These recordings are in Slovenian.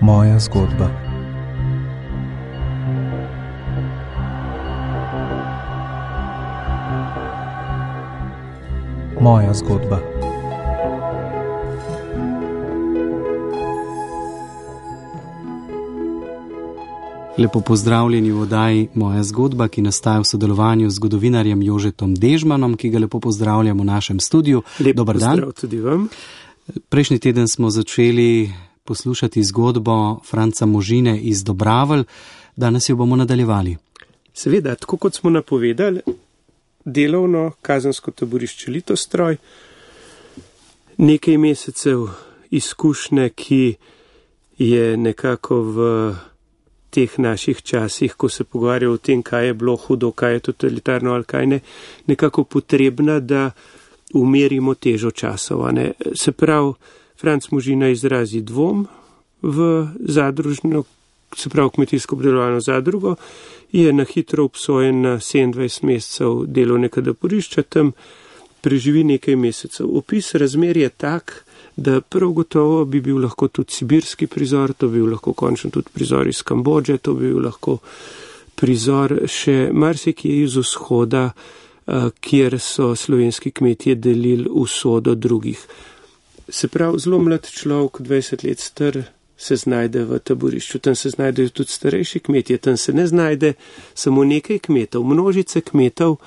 Moja zgodba. Moja zgodba. Lepo pozdravljeni v oddaji Moja zgodba, ki nastaja v sodelovanju z zgodovinarjem Jožetom Dežmanom, ki ga lepo pozdravljam v našem studiu. Dobar dan. Pozdrav tudi vam. Prejšnji teden smo začeli poslušati zgodbo Franca Možine iz Dobravelj. Danes jo bomo nadaljevali. Seveda, tako kot smo napovedali, delovno kazensko taborišče Litostroj, nekaj mesecev izkušnje, ki je nekako v teh naših časih, ko se pogovarjajo o tem, kaj je bilo hudo, kaj je totalitarno ali kaj ne, nekako potrebna, da umerimo težo časov. Se pravi, Franc Možina izrazi dvom v zadružno, se pravi kmetijsko obdelovalno zadrugo, je na hitro obsojen na 27 mesecev delovnega taborišča, tam preživi nekaj mesecev. Opis razmer je tak, da prav gotovo bi bil lahko tudi sibirski prizor, to bi bil lahko končno tudi prizor iz Kambodže, to bi bil lahko prizor še marsikje iz vzhoda, kjer so slovenski kmetje delili usodo drugih. Se pravi, zelo mlad človek, 20 let star, se znajde v taborišču. Tam se znajdejo tudi starejši kmetje, tam se ne znajde samo nekaj kmetov. Množice kmetov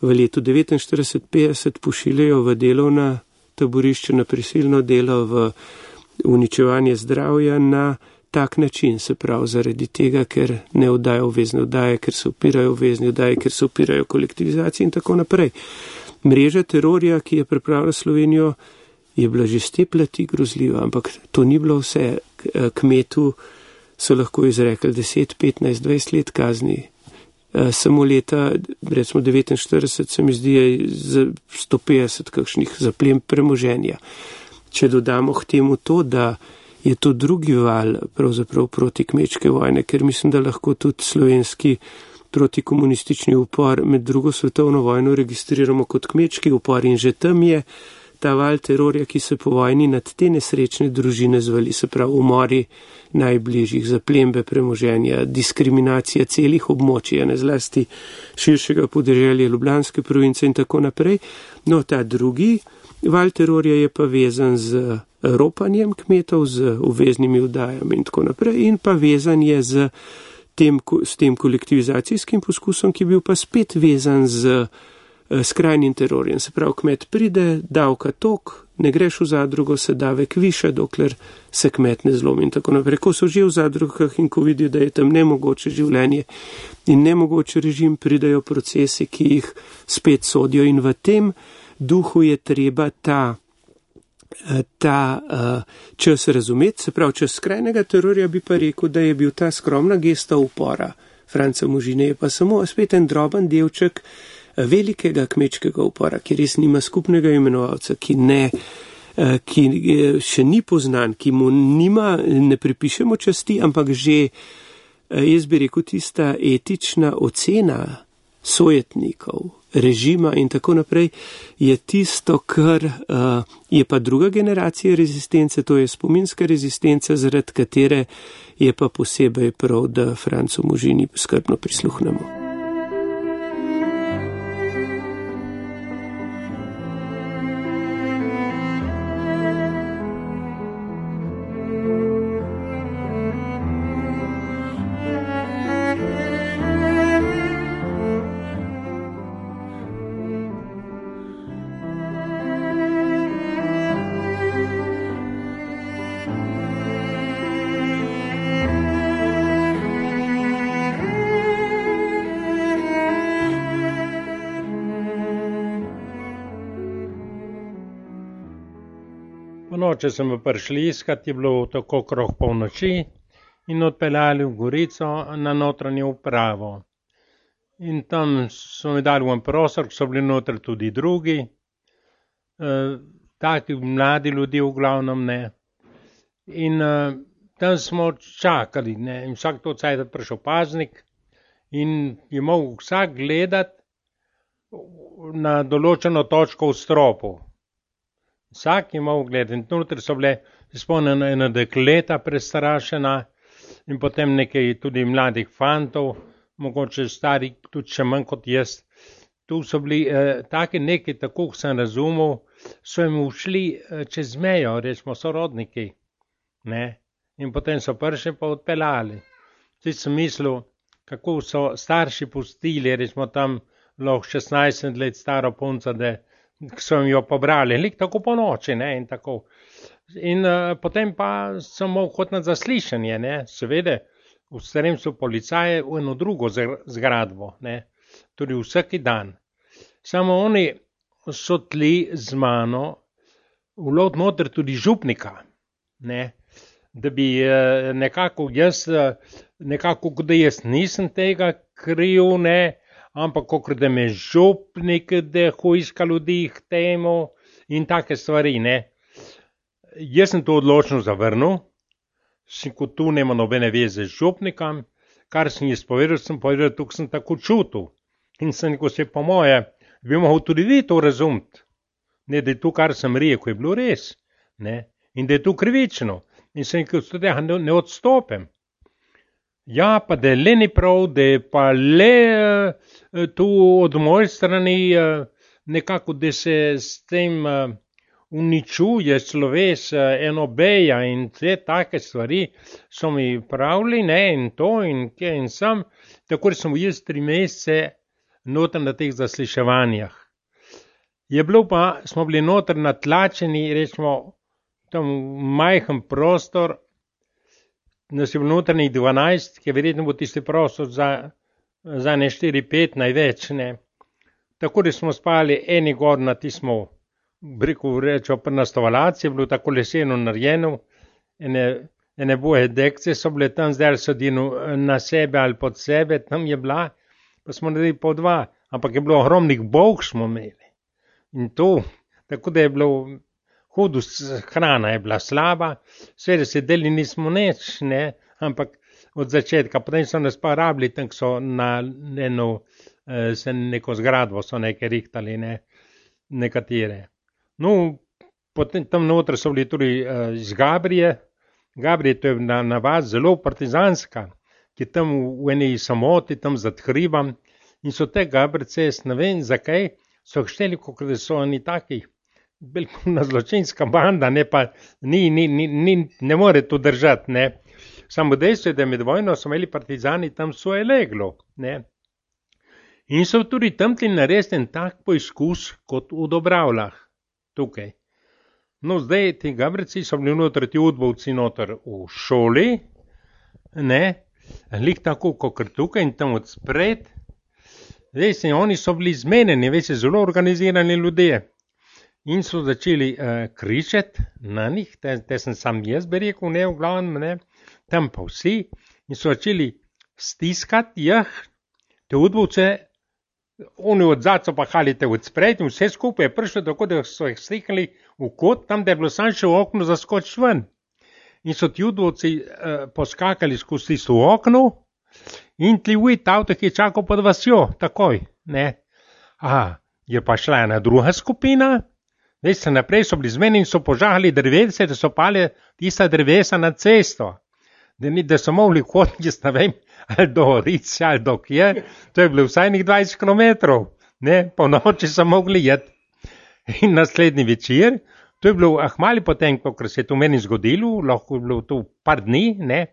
v letu 49-50 pošiljajo v delovna taborišče, na prisilno delo, v uničevanje zdravja na tak način, se pravi zaradi tega, ker ne oddajo obvezne oddaje, ker se upirajo obvezni oddaje, ker se upirajo kolektivizaciji in tako naprej. Mreža terorja, ki je pripravila Slovenijo, je bila že z te plati grozljiva, ampak to ni bilo vse. Kmetu so lahko izrekli 10, 15, 20 let kazni. Samo leta, recimo 49, se mi zdi, je za 150 kakšnih zaplem premoženja. Če dodamo k temu to, da je to drugi val pravzaprav proti kmečke vojne, ker mislim, da lahko tudi slovenski protikomunistični upor med drugo svetovno vojno registriramo kot kmečki upor in že tam je ta val terorja, ki se po vojni nad te nesrečne družine zvali, se pravi umori najbližjih, zaplembe premoženja, diskriminacija celih območij, ne zlasti širšega podeželja Ljubljanske province in tako naprej. No, ta drugi val terorja je pa vezan z ropanjem kmetov, z obveznimi vdajami in tako naprej in pa vezan je s tem kolektivizacijskim poskusom, ki je bil pa spet vezan z skrajnim terorjem. Se pravi, kmet pride, davka tok, ne greš v zadrugo, se davek više, dokler se kmet ne zlomi in tako naprej. Ko so že v zadrugah in ko vidijo, da je tam nemogoče življenje in nemogoče režim, pridajo procesi, ki jih spet sodijo in v tem duhu je treba ta čas razumeti. Se pravi, čas skrajnega terorja bi pa rekel, da je bil ta skromna gesta upora Franca Možine, je pa samo spet en droben delček velikega kmečkega upora, ki res nima skupnega imenovalca, ki še ni poznan, ki mu ne pripišemo časti, ampak že, jaz bi rekel, tista etična ocena sojetnikov, režima in tako naprej, je tisto, kar je pa druga generacija rezistence, to je spominska rezistenca, zaradi katere je pa posebej prav, da Francu Možini skrbno prisluhnemo. Če smo prišli iskat, je bilo tako okrog polnoči in odpeljali v Gorico na notranjo upravo. In tam so mi dali v en prostor, so bili notri tudi drugi, taki mladi ljudje v glavnem, ne. In tam smo čakali, ne, in vsak to cajt prišel paznik in je mogel vsak gledati na določeno točko v stropu. Vsak je mogel gledati in notri so bile spomnim ena dekleta prestrašena in potem nekaj tudi mladih fantov, mogoče stari tudi še manj kot jaz. Tu so bili taki neki, tako sem razumel, so jim ušli čez mejo, rečemo sorodniki, ne, in potem so prišli pa odpeljali. Zdaj sem mislil, kako so starši pustili, rečemo tam lahko 16 let staro punco, da so jim jo pobrali, lik tako po noči, ne, in tako. In potem pa sem mogel kot na zaslišanje, ne, seveda, v Sremcu policaje v eno drugo zgradbo, ne, tudi vsaki dan. Samo oni so tli z mano vlod noter tudi župnika, ne, da bi nekako jaz, da jaz nisem tega kriv, ne, ampak kakor da me župnik, da hujska ljudi k temu in take stvari, ne. Jaz sem to odločno zavrnil, kot tu nema nobene veze z župnikom, kar sem jaz povedal, tukaj sem tako čutil. In sem rekel, se po moje, bi mogel tudi vi to razumeti, ne, da je to, kar sem rekel, je bilo res, ne, in da je to krivično. In sem rekel, da ne odstopim. Ja, pa da le ni prav, da je pa le tu od moje strani nekako, da se s tem uničuje sloves enobeja in te take stvari so mi pravili, ne, in to in kje in sam, tako da sem jaz 3 mesece noter na teh zasliševanjah. Je bilo pa, smo bili noter natlačeni, rečemo, tam majhen prostor, nas je bilo notrnih 12, ki verjetno bo tisti prostor za ne 4-5 največ, ne. Tako da smo spali eni gor na tismo, rečemo, na stovalaci, je bilo tako leseno narejeno, ene boje dekce so bile tam, zdaj so na sebe ali pod sebe, tam je bila, pa smo naredili po 2, ampak je bilo ogromnih bolh smo imeli. In to, tako da je bilo hudo, hrana je bila slaba, seveda sedeli nismo nič, ne, ampak od začetka, potem so nas pa rabili, tam so na neko zgradbo so nekaj rihtali, ne, nekatere. No, potem tam noter so bili tudi iz Gabrije. Gabrije, to je navad zelo partizanska, ki tam v eni samoti, tam za hribom, in so te Gabrice, ne vem zakaj, so šteli, kot da so oni taki, velikona zločinska banda, ne pa, ne more to držati, ne. Samo dejstvo je, da med vojno so imeli partizani tam svoje leglo, ne. In so tudi tam tli naredili en tak poizkus kot v Dobravljah, tukaj. No, zdaj ti Gabrici so bili noter, ti udbovci noter v šoli, ne, lik tako kot tukaj in tam odspred. Zdaj oni so bili zmenjeni, veste, zelo organizirani ljudje. In so začeli kričati na njih, te sem sam jaz bi rekel, ne, v glavnem, ne, tam pa vsi, in so začeli stiskati te udbovce, oni odzad so pa halite odspred in vse skupaj je prišlo tako, da so jih stikali v kot, tam da je bilo sam še v okno zaskočiti ven. In so ti udbovci poskakali skozi tisto okno in tli ujt avto, ki je čakal pod vasjo, takoj, ne. Je pa šla ena druga skupina, veste, naprej so bili zmeni in so požahali drevese, da so pali tista drevesa na cesto. Da so mogli hoditi, jaz ne vem, ali do Rice, ali do kje, to je bilo vsaj 20 kilometrov, ne, po noči so mogli jeti. In naslednji večer, to je bilo ahmali potem, kot se je to meni zgodilo, lahko je bilo to par dni, ne,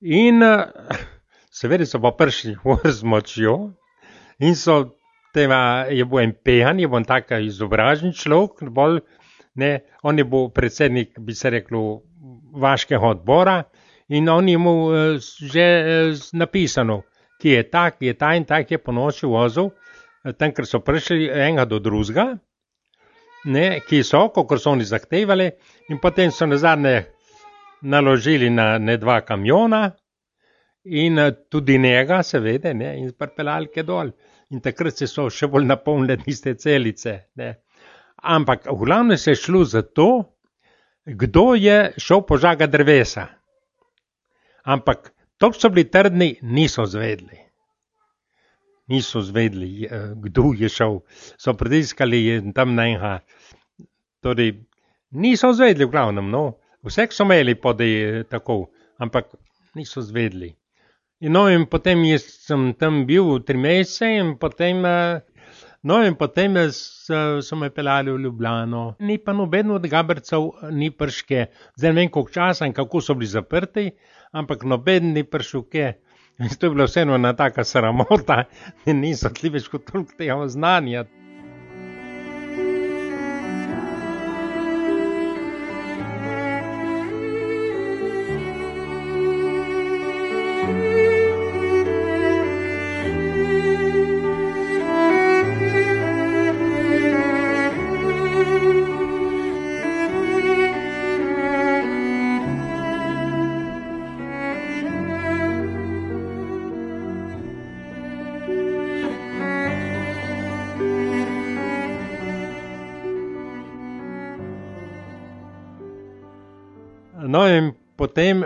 in seveda so pa prišli z močjo in so tema, je bil en pehan, je bil taka izobražen človek, bolj, ne, on je bil predsednik, bi se reklo, vaškega odbora, in on je mu že napisano, ki je tak in tak je po noči vozil, tam, ker so prišli enega do drugega, ne, ki so, kot so oni zahtevali, in potem so nazadnje naložili na 2 kamiona in tudi njega, seveda, ne, in pripeljali ke dol. In takrat se so še bolj napolnile tiste celice, ne. Ampak v glavnem se je šlo za to, kdo je šel požagati drevesa. Ampak to so bili trdni, niso zvedli. Niso zvedli, kdo je šel. So pritiskali tam na enega. Torej, niso zvedli v glavnem, no. Vsek so imeli podej tako, ampak niso zvedli. In potem jaz sem tam bil 3 mesece in potem so me peljali v Ljubljano. Ni pa noben od Gabercev ni priške. Zdaj ne vem, koliko časa in kako so bili zaprti, ampak noben ni prišel kje. In to je bila vseeno ena taka sramota, da niso tli več kot toliko tega znanja. No in potem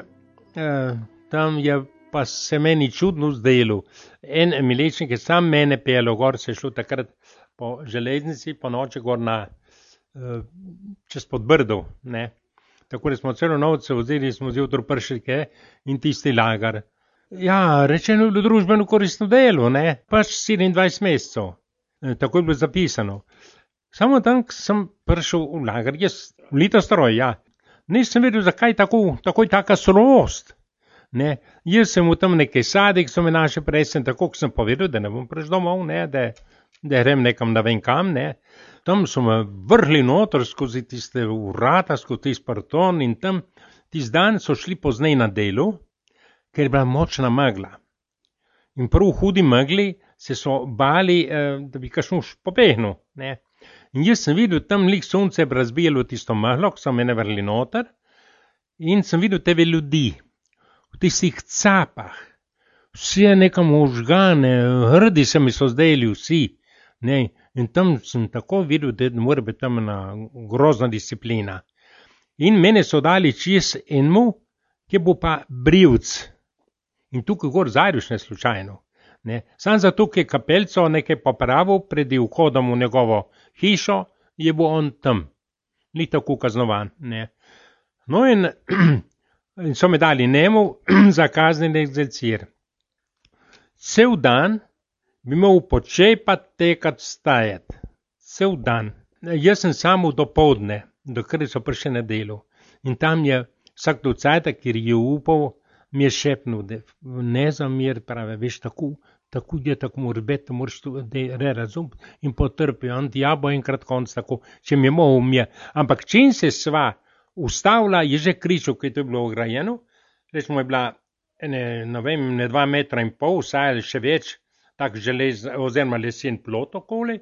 tam je pa se meni čudno zdelo. En milečnik je sam mene peljal gor, se je šlo takrat po železnici, po noči gor čez Podbrdo, ne. Tako da smo celo noč se vzeli, smo zjutraj prišli in tisti lagar. Ja, rečeno je bilo družbeno koristno delo, ne, pač 27 mesecev. Tako je bilo zapisano. Samo tam sem prišel v lagar, jaz v Litostroj, ja. Nisem vedel, zakaj takoj taka surovost. Ne, jaz sem v tam nekaj sadek, so me naše presen, tako ko sem povedal, da ne bom prišel domov, ne, da grem nekam ne vem kam, ne. Tam so me vrhli noter skozi tiste vrata, skozi tisti parton in tam tisti dan so šli poznej na delu, ker je bila močna megla. In prav v hudi megli se so bali, da bi kakšno pobegnil, ne. In jaz sem videl, tam lik sonce je razbijalo tisto meglo, ko so mene vrli noter, in sem videl tebe ljudi, v tistih capah, vsi nekam ožgane, hrdi se mi so zdeli vsi, ne, in tam sem tako videl, da mora biti tam ena grozna disciplina. In mene so dali čez enemu, ki bo pa brivc. In tukaj gor zajduš ne slučajno. Ne. Sam zato, ki je kapelco nekaj popravil pred vhodom v njegovo hišo, je bo on tam. Ni tako kaznovan. Ne. No in so me dali njemu za kazneni egzercir. Cel dan bi imel počepat tekat stajati. Cel dan. Jaz sem samo dopoldne, dokler so prišli na delo. In tam je vsak do cajta, kjer je upal, mi je šepnil, da ne zamir, pravi, veš, tako je, tako mora biti, moraš to razumeti in potrpi. On ja bo enkrat konc tako, če mi je mogel, ampak čim se sva ustavila, je že kričal, ki je to bilo ograjeno, recimo je bila, ne vem, 2,5 metra, vsaj ali še več, tak želez, oziroma lesen plot okoli,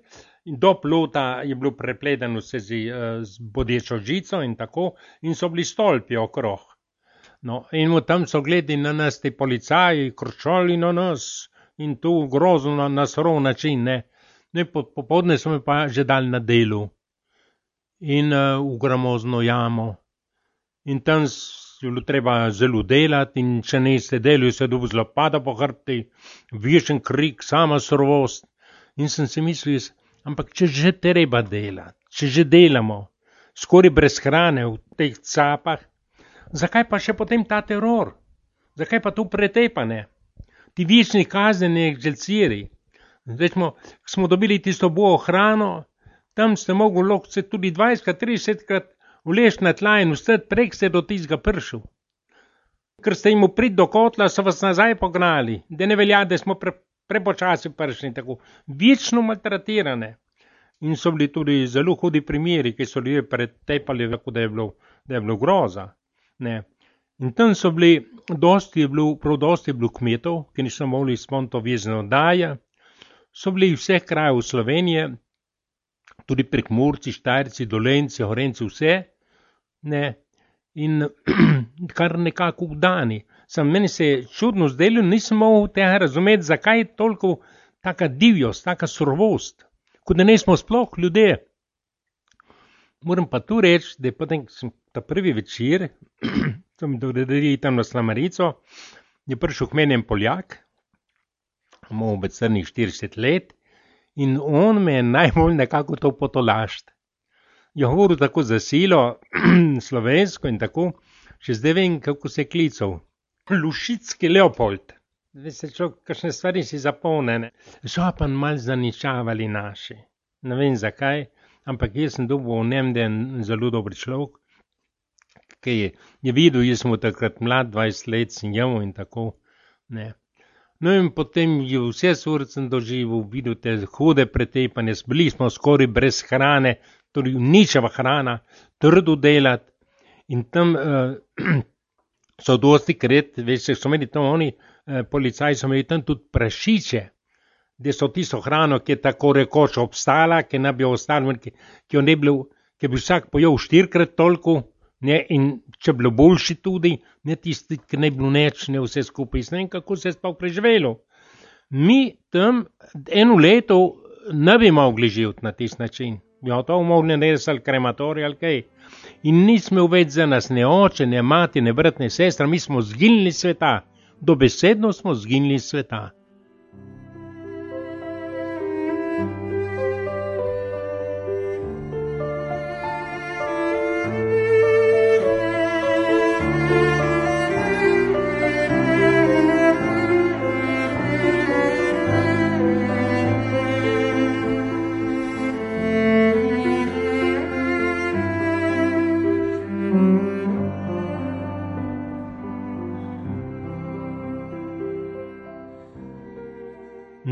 in do plota je bilo prepledeno vse z bodečo žico in tako, in so bili stolpi okrog. No, in tam so gledali na nas ti policaji, kročali na nas in to grozno na surov način, ne. No, popoldne so me pa že dali na delu in v gramozno jamo. In tam je bilo treba zelo delati in če niste delali, se dobil zlopada po hrbti, večen krik, sama surovost. In sem si mislil, ampak če že treba delati, če že delamo, skoraj brez hrane v teh capah, zakaj pa še potem ta teror? Zakaj pa to pretepane? Ti večni kazneni egzerciri. Recimo, smo dobili tisto bojo hrano, tam ste mogli lahko se tudi 20-30krat vleči na tla in vstati prek ste do tistega prišel. Ker ste jim prid do kotla, so vas nazaj pognali, da ne velja, da smo prepočasi prišli, tako večno maltretirane. In so bili tudi zelo hudi primeri, ki so ljudje pretepali, da je bilo groza. Ne. In tam so bili, dosti je bilo kmetov, ki niso mogli izpolniti obvezne oddaje, so bili vseh krajev v Sloveniji, tudi Prekmurci, Štajerci, Dolenci, Gorenjci, vse, ne, in kar nekako vdani. Meni se je čudno zdelo, nisem mogel tega razumeti, zakaj je toliko taka divjost, taka surovost, kot da nismo sploh ljudje. Moram pa tu reči, da potem sem ta prvi večer, sem doredil tam na Slamarico, je prišel k meni en Poljak, imel bi crnih 40 let, in on me je najbolj nekako to potolašt. je govoril tako za silo, slovensko in tako, še zdaj vem, kako se je klical. Lušicki Leopold. Zdaj se človek, kakšne stvari si zapomne. So pa malo zaničavali naši. Ne vem zakaj, ampak jaz sem dobil v njem, da je zelo dober človek, ki je videl, jaz sem takrat mlad, 20 let sem jel in tako, ne. No in potem je vse surcem doživel, videl te hude pretepanje, bili smo skoraj brez hrane, torej ničeva hrana, trdo delati in tam so dosti krat, veš, so imeli tam oni, policaji so imeli tam tudi prašiče, da so tisto hrano, ki je tako rekoč obstala, ki ne bi ostala, ki jo ne bilo, ki bi vsak pojel 4-krat toliko, ne, in če bilo boljši tudi, ne tisti, ki ne bilo neč, ne vse skupaj, ne vem, kako se je sploh preživelo. Mi tam eno leto ne bi mogli živeti na tisti način. Bi to mogli narediti ali krematorij ali kaj. In nismo več za nas ne oče, ne mati, ne brat, ne sestra, mi smo zginili sveta. Dobesedno smo zginili sveta.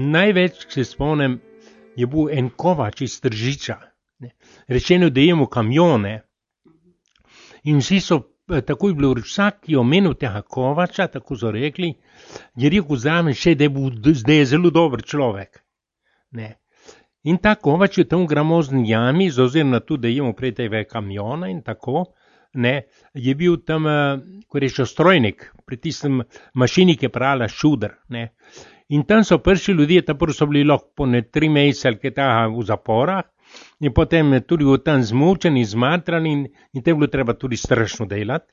Največ, če se spomnim, je bil en kovač iz Tržiča. Rečeno, da imamo kamione. In vsi so, tako je bilo, vsak je omenil tega kovača, tako so rekli, je rekel zraven še, da je zelo dober človek. Ne. In ta kovač je tam v gramozni jami, oziroma tudi, da imamo prej tega kamiona in tako, ne, je bil tam, ko rečo, strojnik, pri tistem mašini, ki je prala šuder, ne. In tam so prši ljudje, tako so bili lahko po 3 mesece ali kaj tega v zaporah, in potem tudi tam zmučeni, zmatrani in te bilo treba tudi strašno delati.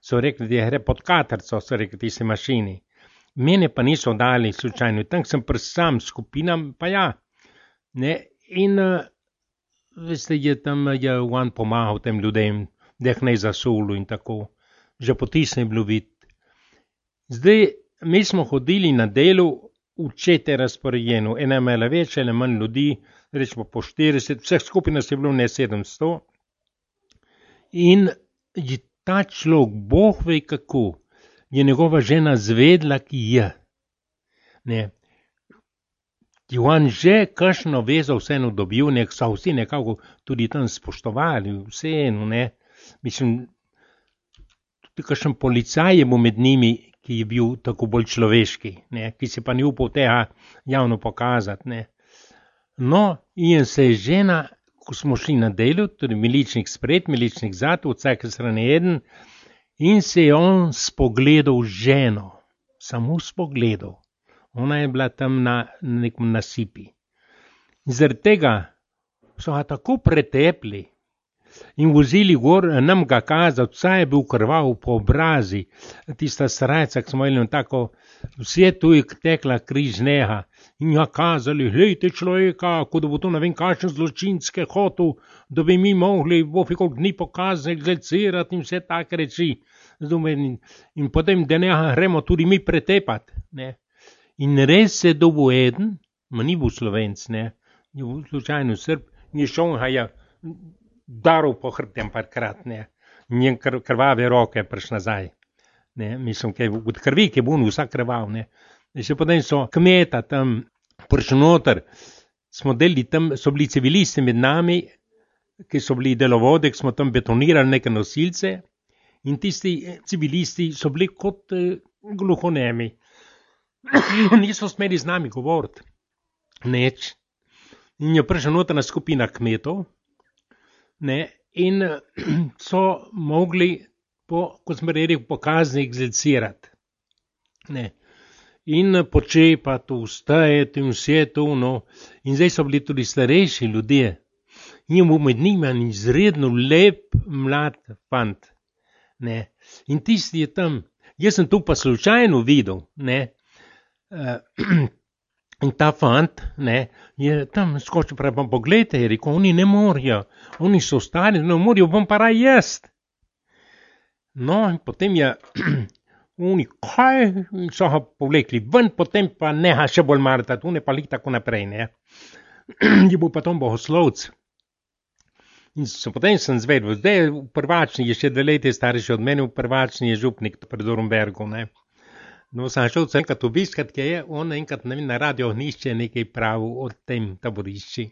So rekli, da je gre pod katrco, so rekli tisti mašini. Mene pa niso dali slučajno, tam sem sam skupinam, pa ja. Ne? In veste, je on pomagal tem ljudem, da jih ne zasulu in tako. Že potisne bilo videti. Zdaj, mi smo hodili na delu, učete razporejeno, ena imela več, ena manj ljudi, rečemo po 40, vseh skupaj nas je bilo ne 700. In je ta človek, Bog ve kako, je njegova žena zvedla, ki je. Ne. Je on že kakšno vezo vseeno dobil, so vsi nekako tudi tam spoštovali, vseeno, ne. Mislim, tudi kakšen policaj je bil med njimi, ki je bil tako bolj človeški, ne, ki se pa ni upal tega javno pokazati. Ne. No, in se je žena, ko smo šli na delu, tudi miličnik spred, miličnik zad, v vsake strani eden, in se je on spogledal ženo, samo spogledal. Ona je bila tam na nekom nasipi. In zaradi tega so ga tako pretepli in vozili gor, nam ga kazati, vsa je bil krvav po obrazi, tista srajca, ki smo imeli tako, vse tu je tekla križ neha in ga kazali, glejte človeka, kot da bo to ne vem kakšen zločinske hotel, da bi mi mogli koliko dni pokazati, glecirati in vse take reči. In potem, da ne gremo tudi mi pretepati. Ne. In res se dobil eden, ma ni bil Slovenc, ne, je bil slučajno Srb, in je šel ga je daril po hrbtem parkrat, ne, njen krvave roke priš nazaj, ne, mislim, od krvi, ki je bil vsak krvav, ne, in še potem so kmeta tam prišli noter, smo delili tam, so bili civilisti med nami, ki so bili delovode, ki smo tam betonirali neke nosilce, in tisti civilisti so bili kot gluhonemi, niso smeli z nami govoriti, neč, in je prišla notrna skupina kmetov, ne, in so mogli, kot smo rekli, pokazni egzercirati. Ne. In počepati, vstajati in vse to, no. In zdaj so bili tudi starejši ljudje. In je bil med njima izredno lep mlad fant. Ne. In tisti je tam, jaz sem tu pa slučajno videl, ne, In ta fant, ne, je tam skočil, pravi, pa pogledajte, je rekel, oni ne morajo, oni so stari, ne morajo, bom pa raj jest. No, in potem je, oni kaj, so ga povlekli ven, potem pa neha še bolj martati, oni pa lik tako naprej, ne. Je bil pa tom bohoslovc. In potem sem zvedel, zdaj v Prvačni, je še 2 leta starejši od mene, v Prvačni je župnik pred Dornbergom, ne. No, sem šel enkrat obiskat, ki je on enkrat na Radio Ohnišče nekaj pravil o tem taborišči.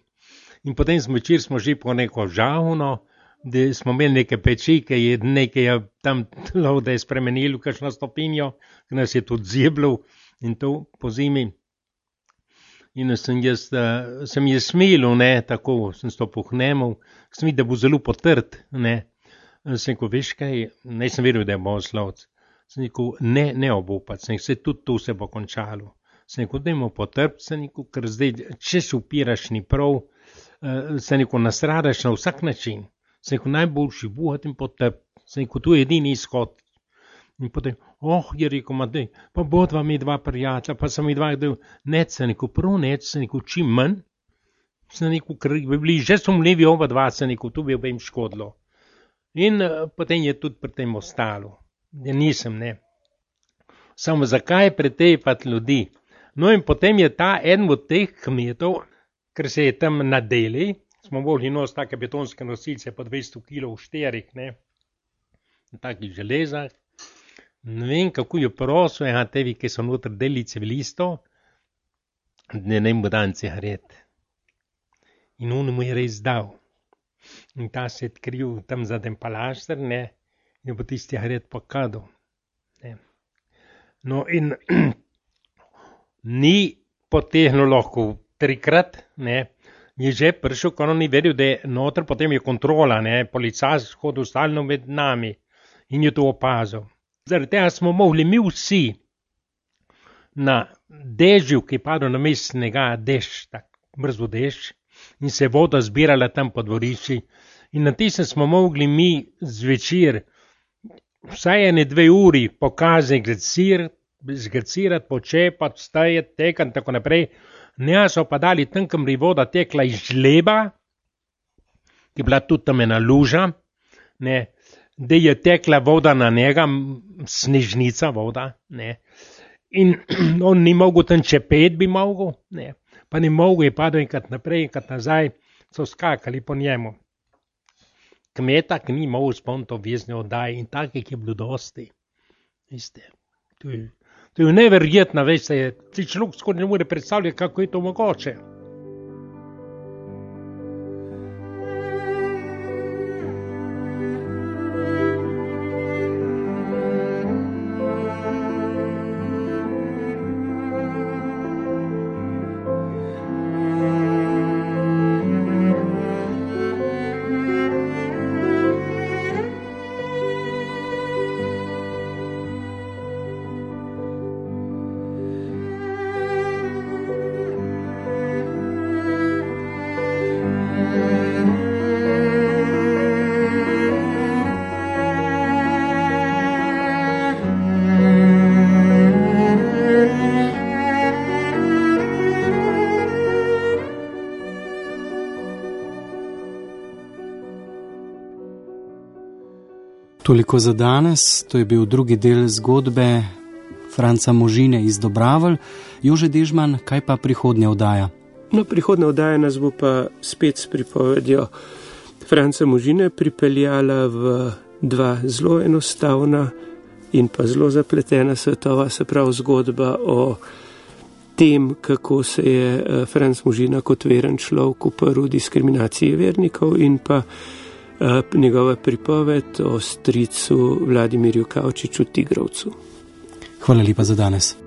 In potem večer smo že po neko žavno, da smo imeli neke peči, ki je nekaj tam tlo, da je spremenilo kakšno stopinjo, ki nas je tudi zjebljal in to po zimi. In sem je smilil, ne, tako, sem stopil k njemu, sem videl, da bo zelo potrt, ne. Sem rekel, veš kaj, nisem vedel, da je bohoslovec. Sem rekel, ne obupati, sem rekel, tudi to se bo končalo. Sem rekel, dajmo potrpiti, sem rekel, ker zdaj, če se upiraš ni prav, sem rekel, nastradaš na vsak način. Sem rekel, najboljši buhat in potrpiti. Sem rekel, to je edini izhod. In potem, je rekel, daj, pa bodva mi 2 prijatelja, pa sem mi 2, sem rekel, prav sem rekel, čim manj. Sem rekel, ker bi bili, že so mlevi oba 2, sem rekel, to bi jim škodilo. In potem je tudi pri tem ostalo. Ja nisem, ne. Samo zakaj pretepati ljudi? No in potem je ta eden od teh kmetov, ker se je tam nadeli, smo mogli nositi take betonske nosilce po 200 kg v šterih, ne, v takih železah. Ne vem, kako je prosil, tevi, ki so noter deli civilistov, da ne mu dan cigaret. In on mu je res dal. In ta se je odkril tam za den palašter, ne, in bo tisti cigaret pokadal. No in ni potehnil lahko 3-krat, ne, je že prišel, ko on ni vedel, da je noter, potem je kontrola, ne, policaj hodil stalno med nami in je to opazil. Zaradi tega smo mogli mi vsi na dežju, ki je padel na mestnega dež, tak mrzlo dež, in se je voda zbirala tam po dvorišči. In na tistem smo mogli mi zvečer vsaj 1-2 uri pokazati, zgrcirati, počepati, stajati, tekati in tako naprej. Ne so pa dali tam, kam je voda tekla iz žleba, ki je bila tudi tam ena luža, ne, da je tekla voda na njega, snežnica voda, ne. In on ni mogel tam čepet, bi mogel, ne, pa ni mogel, je padel enkrat naprej, enkrat nazaj, so skakali po njemu. Kmeta, ki ni mogel spomniti obvezne oddaje in takih je bilo dosti. Veste, to je neverjetno, veste, ti človek skoraj ne more predstavljati, kako je to mogoče. Toliko za danes, to je bil drugi del zgodbe Franca Možine iz Dobravelj. Jože Dežman, kaj pa prihodnja oddaja? No, prihodnja oddaja nas bo pa spet s pripovedjo Franca Možine pripeljala v 2 zelo enostavna in pa zelo zapletena svetova, se pravi zgodba o tem, kako se je Franc Možina kot veren človek uprl diskriminaciji vernikov in pa njegova pripoved o stricu Vladimirju Kavčiču Tigrovcu. Hvala lepa za danes.